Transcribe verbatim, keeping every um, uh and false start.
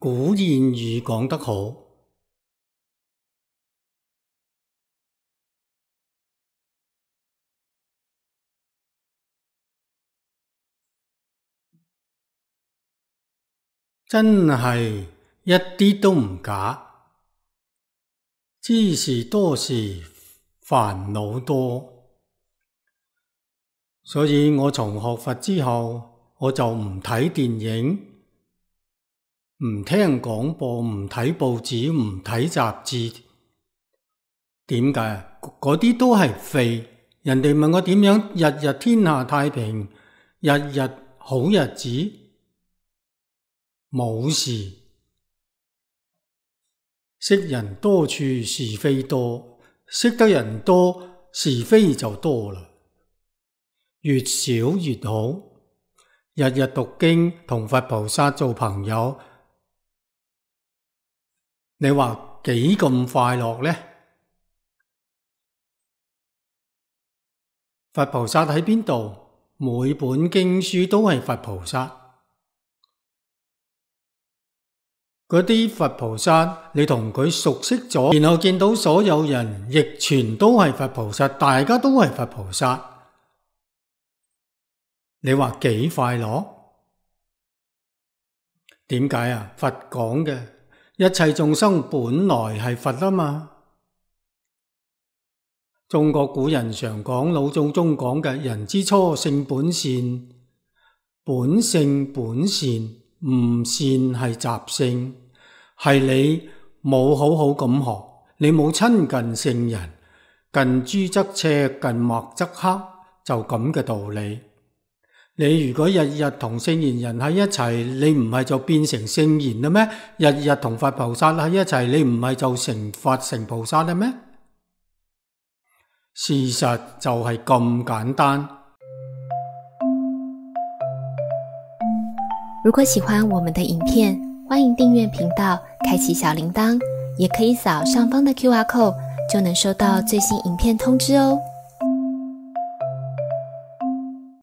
古諺語講得好，真係一啲都唔假。知識多時煩惱多，所以我從學佛之後，我就唔睇電影，唔聽廣播，唔睇報紙，唔睇雜誌。點解？嗰啲都係廢。人哋問我點樣日日天下太平，日日好日子，冇事。識人多處是非多，識得人多是非就多啦。越少越好。日日讀經同佛菩薩做朋友，你話幾咁快樂呢？佛菩薩喺邊度？每本經書都係佛菩薩。嗰啲佛菩薩，你同佢熟悉咗，然後見到所有人亦全都係佛菩薩，大家都係佛菩薩，你話幾快樂？點解啊？佛講嘅一切眾生本來係佛啊嘛。中國古人常講，老祖宗講嘅人之初性本善，本性本善，唔善係習性。係你冇好好咁學，你冇親近聖人，近朱則赤，近墨則黑，就咁嘅道理。你如果日日同聖賢人喺一齊，你唔係就變成聖賢啦咩？日日同佛菩薩喺一齊，你唔係就成佛成菩薩啦咩？事實就係咁簡單。如果喜歡我們的影片，歡迎訂閱頻道，開啟小鈴鐺，也可以掃上方的 Q R code，就能收到最新影片通知哦。